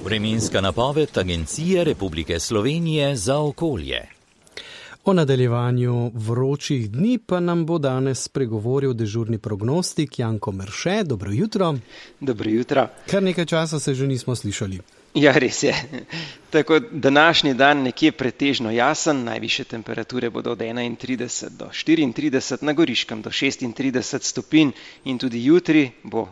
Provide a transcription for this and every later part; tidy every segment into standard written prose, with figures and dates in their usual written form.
Vremenska napoved Agencije Republike Slovenije za okolje. O nadaljevanju vročih dni pa nam bo danes spregovoril dežurni prognostik Janko Merše. Dobro jutro. Dobro jutro. Kar nekaj časa se že nismo slišali. Ja, res je. Tako današnji dan nekje pretežno jasen, najvišje temperature bodo od 31 do 34, na Goriškem do 36 stopinj in tudi jutri bo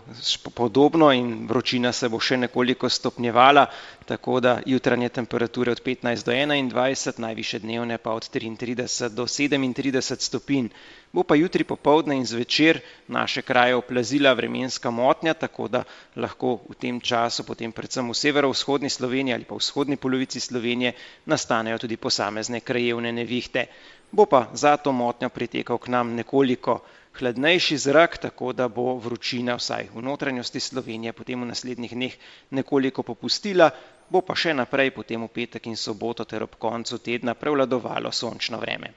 podobno in vročina se bo še nekoliko stopnjevala, tako da jutranje temperature od 15 do 21, najvišje dnevne pa od 33 do 37 stopinj. Bo pa jutri popoldne in zvečer naše kraje oplazila vremenska motnja, tako da lahko v tem času, potem predvsem v severovzhodni Sloveniji ali pa v vzhodni polovici Slovenije, nastanejo tudi posamezne krajevne nevihte. Bo pa za to motnjo pritekal k nam nekoliko hladnejši zrak, tako da bo vročina vsaj v notranjosti Slovenije potem v naslednjih dneh nekoliko popustila, bo pa še naprej potem v petek in soboto ter ob koncu tedna prevladovalo sončno vreme.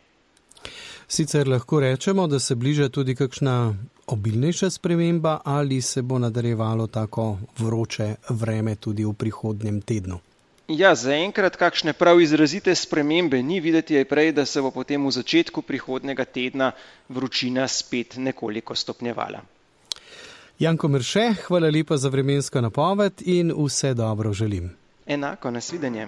Sicer lahko rečemo, da se bliža tudi kakšna obilnejša sprememba ali se bo nadaljevalo tako vroče vreme tudi v prihodnjem tednu? Ja, zaenkrat kakšne prav izrazite spremembe ni, videti je prej, da se bo potem v začetku prihodnjega tedna vročina spet nekoliko stopnjevala. Janko Merše, hvala lepa za vremensko napoved in vse dobro želim. Enako, nasvidenje.